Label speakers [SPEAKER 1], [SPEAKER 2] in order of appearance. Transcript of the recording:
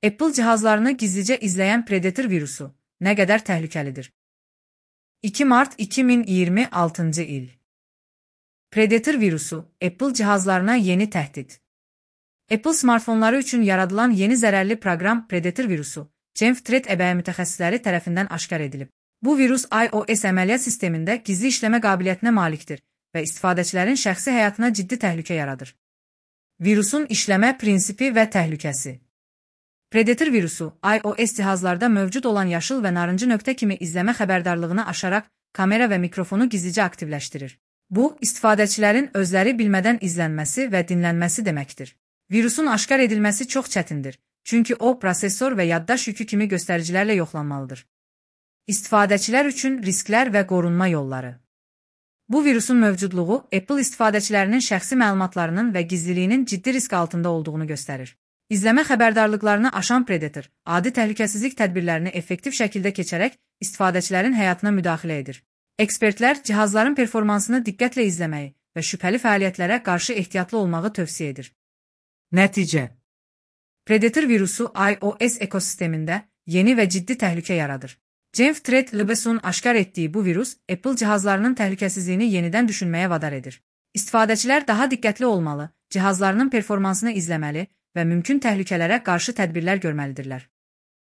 [SPEAKER 1] Apple cihazlarını gizlicə izləyən Predator virusu nə qədər təhlükəlidir? 2 mart 2026-cı il. Predator virusu Apple cihazlarına yeni təhdid. Apple smartfonları üçün yaradılan yeni zərərli proqram Predator virusu, Genv-Threat əbəyi mütəxəssisləri tərəfindən aşkar edilib. Bu virus iOS əməliyyat sistemində gizli işləmə qabiliyyətinə malikdir və istifadəçilərin şəxsi həyatına ciddi təhlükə yaradır. Virusun işləmə prinsipi və təhlükəsi. Predator virusu iOS cihazlarda mövcud olan yaşıl və narıncı nöqtə kimi izləmə xəbərdarlığını aşaraq kamera və mikrofonu gizlicə aktivləşdirir. Bu, istifadəçilərin özləri bilmədən izlənməsi və dinlənməsi deməkdir. Virusun aşkar edilməsi çox çətindir, çünki o, prosesor və yaddaş yükü kimi göstəricilərlə yoxlanmalıdır. İstifadəçilər üçün risklər və qorunma yolları. Bu virusun mövcudluğu Apple istifadəçilərinin şəxsi məlumatlarının və gizliliyinin ciddi risk altında olduğunu göstərir. İzləmə xəbərdarlıqlarını aşan Predator, adi təhlükəsizlik tədbirlərini effektiv şəkildə keçərək istifadəçilərin həyatına müdaxilə edir. Ekspertlər cihazların performansını diqqətlə izləməyi və şübhəli fəaliyyətlərə qarşı ehtiyatlı olmağı tövsiyə edir. Nəticə: Predator virusu iOS ekosistemində yeni və ciddi təhlükə yaradır. Genv-Threat LBS'un aşkar etdiyi bu virus Apple cihazlarının təhlükəsizliyini yenidən düşünməyə vadar edir. İstifadəçilər daha diqqətli olmalı, cihazlarının performansını izləməli və mümkün təhlükələrə qarşı tədbirlər görməlidirlər.